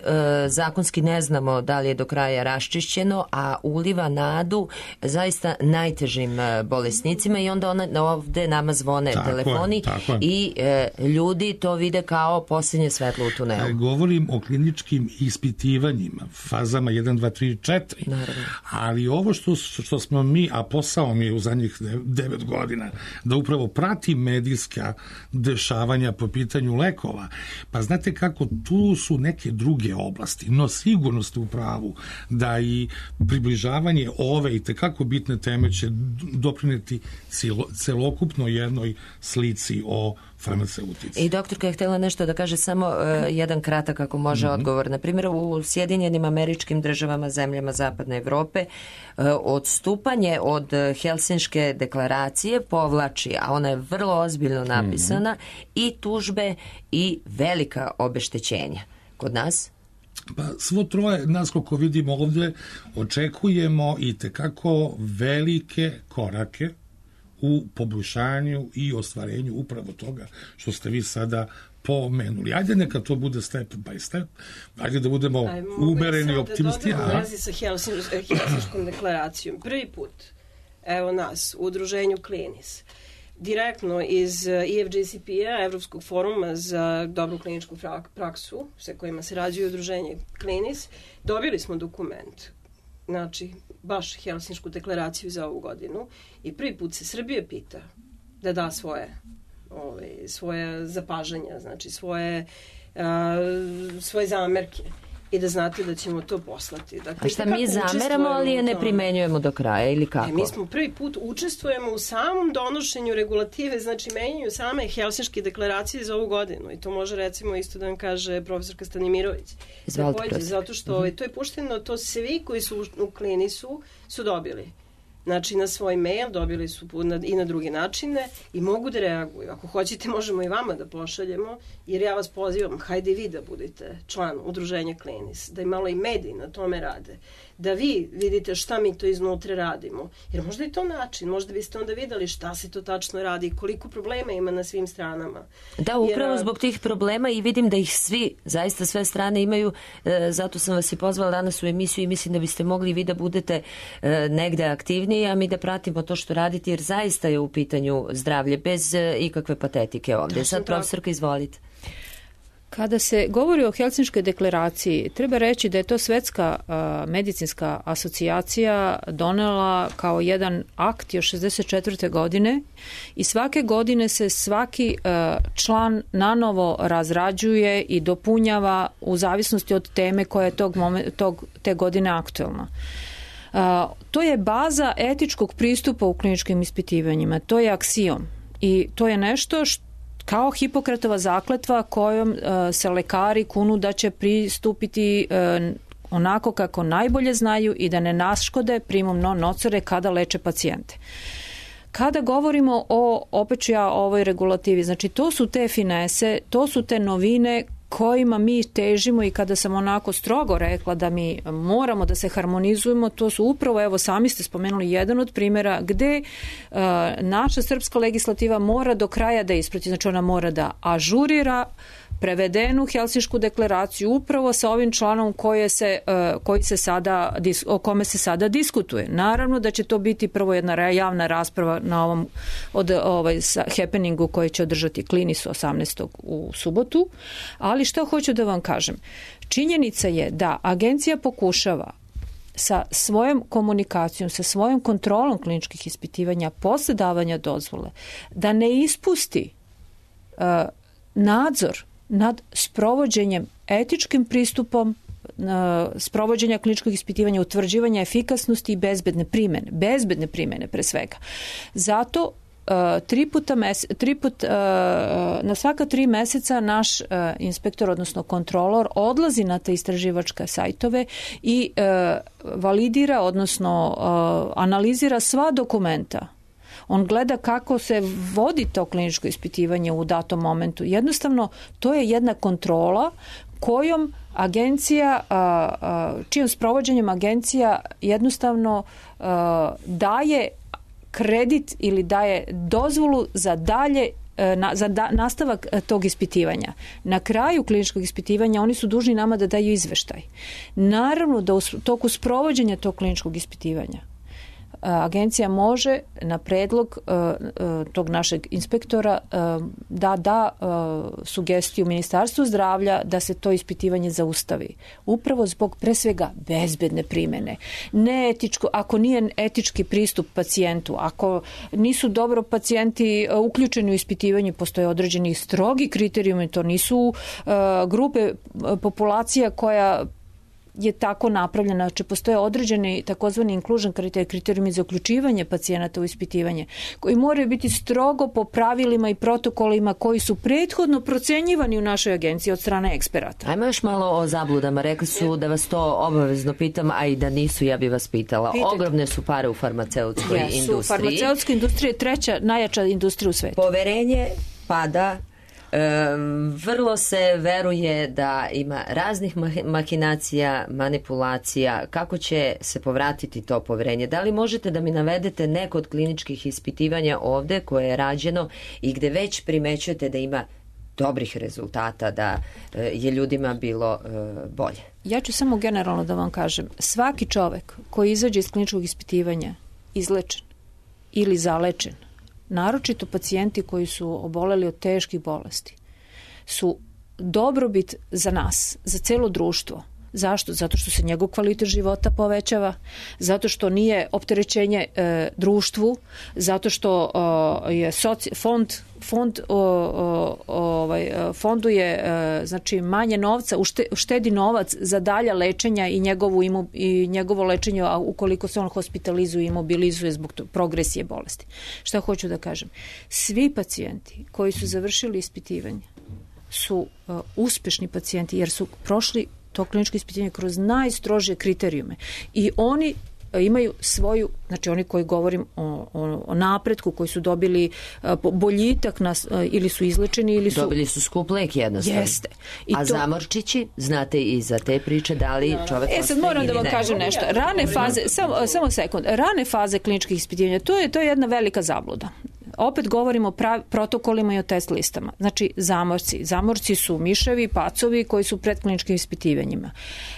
zakonski ne znamo da li je do kraja raščišćeno, a uliva nadu zaista najtežim bolesnicima i onda ona, ovde nama zvone tako telefoni je, je. i ljudi ljudi to vide kao posljednje svetlo u tunelu. Govorim o kliničkim ispitivanjima, fazama jedan, dva, tri, četiri. Naravno. Ali ovo što, što smo mi, a posao mi je u zadnjih devet godina, da upravo prati medijska dešavanja po pitanju lekova. Pa znate kako, tu su neke druge oblasti, no sigurno ste u pravu da i približavanje ove i tekako bitne teme će doprineti celo, celokupno jednoj slici o farmaceutici. I doktorka je htjela nešto da kaže, samo uh, jedan kratak ako može mm-hmm. odgovor. Na primjer, u Sjedinjenim Američkim Državama, zemljama Zapadne Evrope, uh, odstupanje od Helsinške deklaracije povlači, a ona je vrlo ozbiljno napisana, mm-hmm. i tužbe i velika obeštećenja. Kod nas? Pa svo troje, nas koliko vidimo ovdje, očekujemo i tekako velike korake u poboljšanju i ostvarenju upravo toga što ste vi sada pomenuli. Ajde neka to bude step by step, ajde da budemo Aj, umereni optimisti. Ajmo da dodamo u vezi sa Helsinškom deklaracijom. Prvi put, evo nas, u udruženju Klinis, direktno iz E F J C P-a, Evropskog foruma za dobru kliničku praksu, sa kojima se rađuje udruženje Klinis, dobili smo dokument, znači baš Helsinšku deklaraciju za ovu godinu, i prvi put se Srbija pita da da svoje ovaj, svoje zapažanja, znači svoje, uh, svoje zamerke. i da znate da ćemo to poslati. Dakle, a šta mi zameramo, ali je ne primenjujemo do kraja ili kako? E, mi smo prvi put učestvujemo u samom donošenju regulative, znači menjanju same Helsinške deklaracije za ovu godinu i to može recimo isto da vam kaže profesorka Stanimirović. Izvalite, Takođe, zato što ovaj, to je pušteno, to svi koji su u klinisu su dobili. Znači, na svoj mail dobili su i na druge načine i mogu da reaguju. Ako hoćete, možemo i vama da pošaljemo, jer ja vas pozivam, hajde vi da budete član udruženja Klinis, da i malo i mediji na tome rade, da vi vidite šta mi to iznutra radimo. Jer možda je to način, možda biste onda videli šta se to tačno radi i koliko problema ima na svim stranama. Da, upravo jer, zbog tih problema i vidim da ih svi, zaista sve strane imaju, e, zato sam vas i pozvala danas u emisiju i mislim da biste mogli vi da budete e, negde aktivniji, a mi da pratimo to što radite, jer zaista je u pitanju zdravlje, bez e, ikakve patetike ovdje. Sad, profesorka, izvolite. Kada se govori o Helsinškoj deklaraciji, treba reći da je to Svetska uh, medicinska asocijacija donela kao jedan akt još šezdeset četvrte godine i svake godine se svaki uh, član nanovo razrađuje i dopunjava u zavisnosti od teme koja je tog momen, tog, te godine aktuelna. Uh, to je baza etičkog pristupa u kliničkim ispitivanjima, to je aksijom i to je nešto što kao Hipokratova zakletva kojom uh, se lekari kunu da će pristupiti uh, onako kako najbolje znaju i da ne naškode primum non nocere kada leče pacijente. Kada govorimo o, opet ću ja o ovoj regulativi, znači to su te finese, to su te novine kojima mi težimo i kada sam onako strogo rekla da mi moramo da se harmonizujemo, to su upravo, evo sami ste spomenuli jedan od primjera gde uh, naša srpska legislativa mora do kraja da isprati, znači ona mora da ažurira prevedenu Helsinšku deklaraciju upravo sa ovim članom koje se, uh, koji se sada, o kome se sada diskutuje. Naravno da će to biti prvo jedna javna rasprava na ovom od, ovaj, happeningu koji će održati Klinis osamnaestog u subotu, ali što hoću da vam kažem? Činjenica je da agencija pokušava sa svojom komunikacijom, sa svojom kontrolom kliničkih ispitivanja posle davanja dozvole, da ne ispusti uh, nadzor nad sprovođenjem etičkim pristupom sprovođenja kliničkog ispitivanja, utvrđivanja efikasnosti i bezbedne primene. Bezbedne primene pre svega. Zato uh, tri puta mes, tri put, uh, na svaka tri meseca naš uh, inspektor, odnosno kontrolor, odlazi na te istraživačke sajtove i uh, validira, odnosno uh, analizira sva dokumenta. On gleda kako se vodi to kliničko ispitivanje u datom momentu. Jednostavno, to je jedna kontrola kojom agencija, čijom sprovođenjem agencija jednostavno daje kredit ili daje dozvolu za dalje za nastavak tog ispitivanja. Na kraju kliničkog ispitivanja oni su dužni nama da daju izveštaj. Naravno da u toku sprovođenja tog kliničkog ispitivanja agencija može na predlog uh, tog našeg inspektora uh, da da uh, sugestiju Ministarstvu zdravlja da se to ispitivanje zaustavi. Upravo zbog pre svega bezbedne primene. Neetičko, ako nije etički pristup pacijentu, ako nisu dobro pacijenti uh, uključeni u ispitivanje, postoje određeni strogi kriterijumi, to nisu uh, grupe uh, populacija koja je tako napravljena, znači postoje određeni takozvani inclusion kriterijumi za uključivanje pacijenata u ispitivanje, koji moraju biti strogo po pravilima i protokolima koji su prethodno procenjivani u našoj agenciji od strane eksperata. Ajmo još malo o zabludama. Rekli su da vas to obavezno pitam, a i da nisu, ja bi vas pitala. Pitajte. Ogromne su pare u farmaceutskoj Jesu, industriji. Farmaceutska industrija je treća najjača industrija u svetu. Poverenje pada. Um, vrlo se veruje da ima raznih mahinacija, manipulacija. Kako će se povratiti to poverenje? Da li možete da mi navedete neko od kliničkih ispitivanja ovde koje je rađeno i gde već primećujete da ima dobrih rezultata, da uh, je ljudima bilo uh, bolje? Ja ću samo generalno da vam kažem. Svaki čovek koji izađe iz kliničkog ispitivanja izlečen ili zalečen, naročito pacijenti koji su oboleli od teških bolesti, su dobrobit za nas, za celo društvo. Zašto? Zato što se njegov kvalitet života povećava, zato što nije opterećenje e, društvu, zato što o, je soci, fond, fond o, o, o, ovaj, fonduje znači manje novca, uštedi novac za dalja lečenja i njegovu imu, i njegovo lečenje, a ukoliko se on hospitalizuje i mobilizuje zbog progresije bolesti. Šta hoću da kažem? Svi pacijenti koji su završili ispitivanje su uh, uspešni pacijenti jer su prošli to kliničko ispitivanje kroz najstrožije kriterijume i oni imaju svoju, znači oni koji govorim o, o, o napretku, koji su dobili uh, boljitak na, uh, ili su izlečeni ili su... Dobili su skup lek jednostavno. Jeste. I A to... zamorčići, znate i za te priče da li čovek... E sad moram da vam ne. kažem nešto. Rane faze, samo, samo sekund, rane faze kliničkih ispitivanja, to je, to je jedna velika zabluda. Opet govorimo o prav, protokolima i o test listama. Znači, zamorci. Zamorci su miševi, pacovi koji su pred kliničkim ispitivanjima.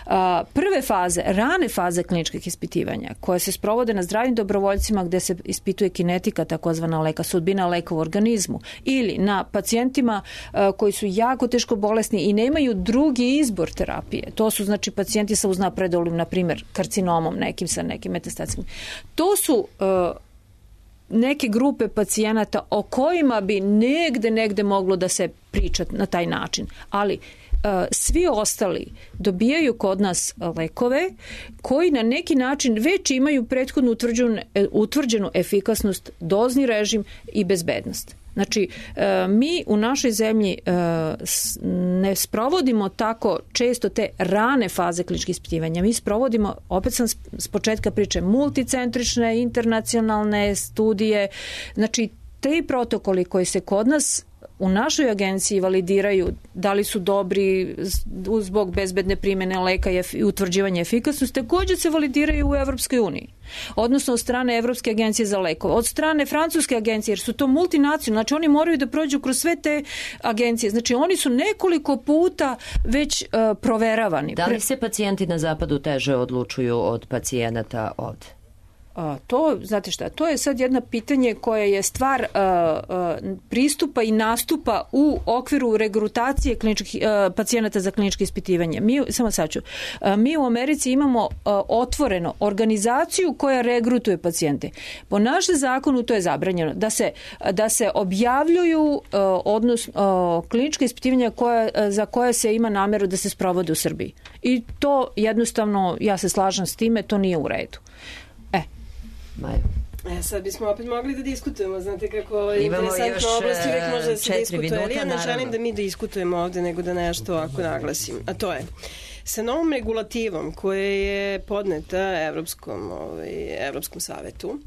A, prve faze, rane faze kliničkih ispitivanja, koje se sprovode na zdravim dobrovoljcima gde se ispituje kinetika, takozvana leka, sudbina leka u organizmu, ili na pacijentima a, koji su jako teško bolesni i nemaju drugi izbor terapije. To su, znači, pacijenti sa uznapredolim, na primjer, karcinomom, nekim sa nekim metastatskim. To su... A, neke grupe pacijenata o kojima bi negde, negde moglo da se priča na taj način. Ali uh, svi ostali dobijaju kod nas lekove koji na neki način već imaju prethodno utvrđenu, utvrđenu efikasnost, dozni režim i bezbednost. Znači, mi u našoj zemlji ne sprovodimo tako često te rane faze kliničkih ispitivanja. Mi sprovodimo, opet sam s početka priče, multicentrične, internacionalne studije. Znači, te protokoli koji se kod nas u našoj agenciji validiraju da li su dobri zbog bezbedne primjene leka i utvrđivanja efikasnosti, također se validiraju u Evropskoj uniji. Odnosno od strane Evropske agencije za lekove, od strane Francuske agencije, jer su to multinacionalne, znači oni moraju da prođu kroz sve te agencije. Znači oni su nekoliko puta već uh, proveravani. Da li se pacijenti na zapadu teže odlučuju od pacijenata ovde? A, to, znate šta, to je sad jedno pitanje koje je stvar a, a, pristupa i nastupa u okviru regrutacije kliničkih, a, pacijenata za kliničke ispitivanje. Mi, samo sad ću, a, mi u Americi imamo a, otvoreno organizaciju koja regrutuje pacijente. Po našem zakonu to je zabranjeno, da se, da se objavljuju a, odnos, a, kliničke ispitivanja koja, a, za koje se ima nameru da se sprovode u Srbiji. I to jednostavno, ja se slažem s time, to nije u redu. Maja. E, sad bismo opet mogli da diskutujemo, znate kako je interesantna oblast, uvijek može da se diskutuje, ali ja ne želim da mi diskutujemo ovde, nego da nešto ovako naglasim, a to je sa novom regulativom koja je podneta Evropskom, ovaj, Evropskom savetu,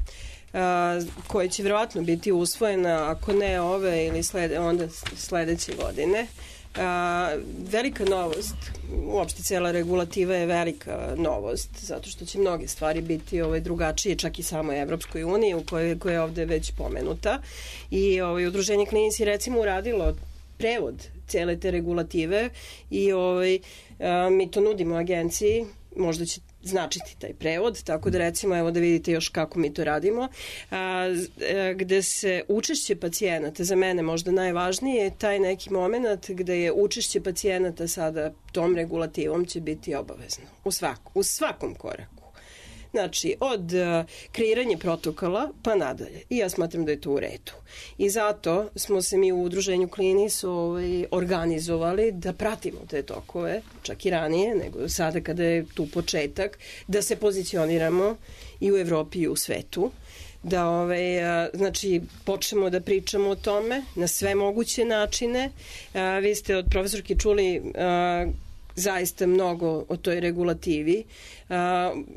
a, koja će vjerovatno biti usvojena, ako ne ove ili slede, onda sledeće godine. A, velika novost, uopšte cijela regulativa je velika novost, zato što će mnoge stvari biti ovaj, drugačije, čak i samoj Evropskoj uniji, u kojoj, koja je ovde već pomenuta. I ovaj, udruženje klinici recimo uradilo prevod cijele te regulative i ovaj, a, mi to nudimo agenciji, možda će značiti taj prevod, tako da recimo evo da vidite još kako mi to radimo, a, gde se učešće pacijenata, za mene možda najvažnije je taj neki moment gde je učešće pacijenata sada tom regulativom će biti obavezno u, svaku, u svakom koraku. Znači, od uh, kreiranja protokola pa nadalje. I ja smatram da je to u redu. I zato smo se mi u udruženju Klinis ovaj, organizovali da pratimo te tokove, čak i ranije, nego sada kada je tu početak, da se pozicioniramo i u Evropi i u svetu. Da ovaj, a, znači, počnemo da pričamo o tome na sve moguće načine. A, vi ste od profesorke čuli a, zaista mnogo o toj regulativi. Uh,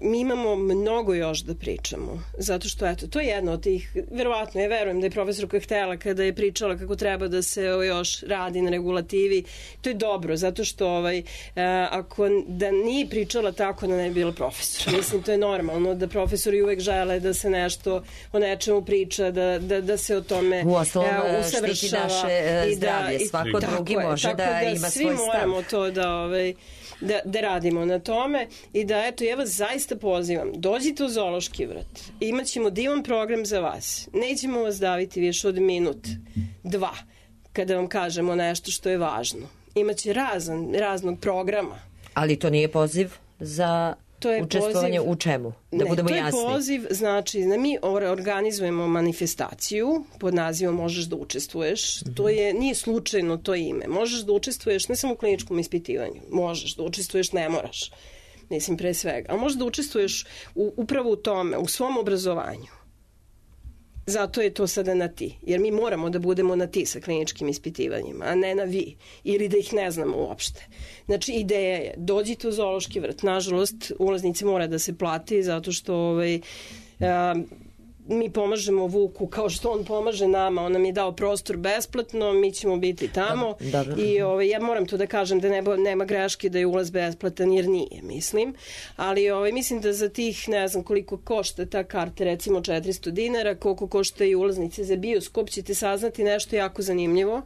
mi imamo mnogo još da pričamo, zato što eto, to je jedno od tih, verovatno, ja verujem da je profesorka htela kada je pričala kako treba da se o, još radi na regulativi, to je dobro, zato što ovaj, uh, ako da nije pričala tako da ne bi bila profesor. Mislim, to je normalno da profesori uvek žele da se nešto o nečemu priča, da, da, da se o tome uh, usavršava. Štiti naše uh, zdravlje, svako drugi može da, da ima svoj stav. Svi moramo to da... Ovaj, Da, da radimo na tome i da eto ja vas zaista pozivam, dođite u Zoološki vrt, imaćemo divan program za vas, nećemo vas daviti više od minut, dva, kada vam kažemo nešto što je važno, imaće razan, raznog programa. Ali to nije poziv za To je Učestvovanje poziv, u čemu? Da ne, budemo to je jasni. poziv, znači da mi organizujemo manifestaciju pod nazivom Možeš da učestvuješ. Mm-hmm. To je, nije slučajno to ime. Možeš da učestvuješ ne samo u kliničkom ispitivanju. Možeš da učestvuješ, ne moraš. Mislim, pre svega. Ali možeš da učestvuješ u, upravo u tome, u svom obrazovanju. Zato je to sada na ti. Jer mi moramo da budemo na ti sa kliničkim ispitivanjima, a ne na vi. Ili da ih ne znamo uopšte. Znači, ideja je, dođite u zoološki vrt. Nažalost, ulaznici mora da se plati zato što ovaj, a, mi pomažemo Vuku kao što on pomaže nama. On nam je dao prostor besplatno, mi ćemo biti tamo. Dobro. I ovaj, ja moram to da kažem da nema, nema greške da je ulaz besplatan jer nije, mislim. Ali ovaj, mislim da za tih, ne znam koliko košta ta karta, recimo četiristo dinara, koliko košta i ulaznice za bioskop, ćete saznati nešto jako zanimljivo.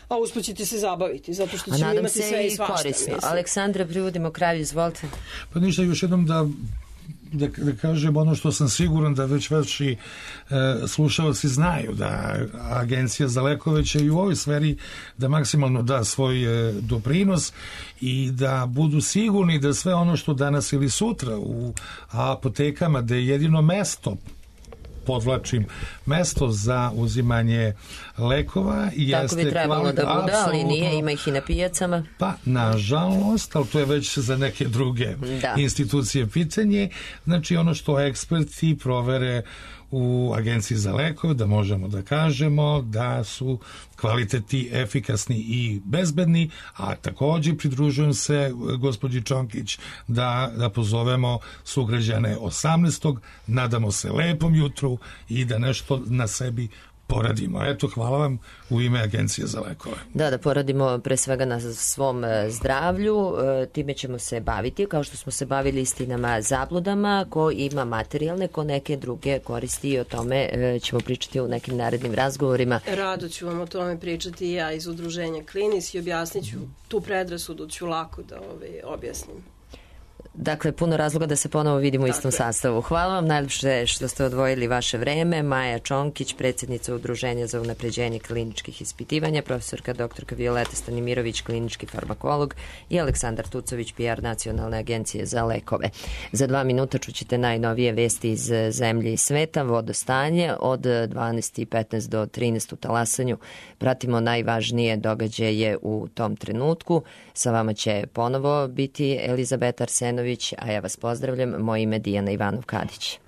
A usput ćete se zabaviti, zato što ćemo imati sve i svašta. Korisno. Aleksandra, privodimo kraju, izvolite. Pa ništa, još jednom da Da, da kažem ono što sam siguran da već vaši e, slušalci znaju, da Agencija za lekove će i u ovoj sferi da maksimalno da svoj e, doprinos i da budu sigurni da sve ono što danas ili sutra u apotekama, da je jedino mesto, podvlačim, mesto za uzimanje lekova jeste... Tako bi trebalo da bude, ali nije, ima ih i na pijacama. Pa, nažalost, ali to je već za neke druge da. institucije pitanje. Znači, ono što eksperti provere u Agenciji za lekove, da možemo da kažemo da su kvaliteti efikasni i bezbedni, a takođe pridružujem se gospođi Čonkić da, da pozovemo sugrađane osamnaestog nadamo se lepom jutru i da nešto na sebi poradimo. Eto, hvala vam u ime Agencije za lekove. Da, da poradimo pre svega na svom zdravlju, time ćemo se baviti, kao što smo se bavili istinama, zabludama, ko ima materijalne, ko neke druge koristi i o tome ćemo pričati u nekim narednim razgovorima. Rado ću vam o tome pričati i ja iz udruženja Klinis i objasnit ću tu predrasudu, ću lako da ovaj, objasnim. Dakle, puno razloga da se ponovo vidimo u istom sastavu. Hvala vam najljepše što ste odvojili vaše vreme. Maja Čonkić, predsjednica Udruženja za unapređenje kliničkih ispitivanja, profesorka doktorka Violeta Stanimirović, klinički farmakolog i Aleksandar Tucović, P R Nacionalne agencije za lekove. Za dva minuta čućete najnovije vesti iz zemlje i sveta, vodostanje od dvanaest i petnaest do trinaest u Talasanju. Pratimo najvažnije događaje u tom trenutku. Sa vama će ponovo biti Elizabeta Arsenović, a ja vas pozdravljam. Moje ime je Dijana Ivanov-Kadić.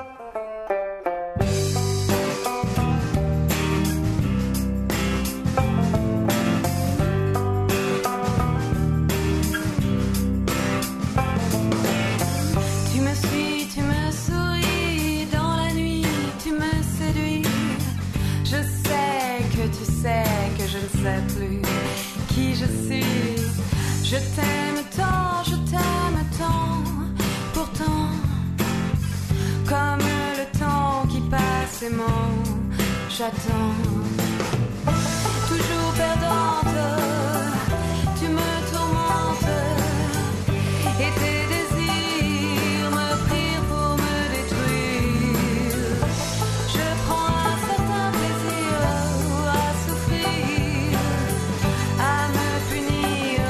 Je t'aime tant, je t'aime tant, pourtant, comme le temps qui passe aimant, j'attends. Toujours perdante, tu me tourmentes, et tes désirs me prient pour me détruire. Je prends un certain plaisir à souffrir, à me punir,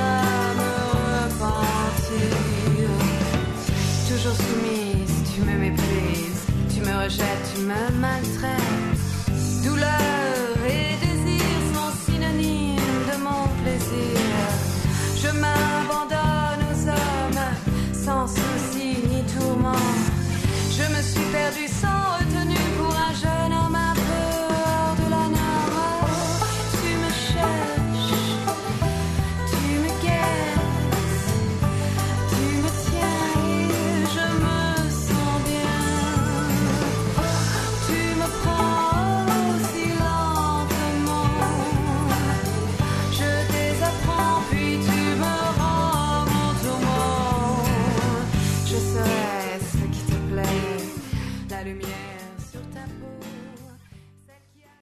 toujours soumise, tu me méprises, tu me rejettes, tu me maltraites. Douleur et désir sont synonymes de mon plaisir. Je m'abandonne aux hommes sans souci ni tourment. Je me suis perdue sans retenue pour un jeune homme à peur de la norme. Tu me cherches, tu me guettes, tu me tiens et je me sens bien. Tu me prends si lentement, je désapprends puis tu me rends mon tourment. Je serai ce qui te plaît, la lumière.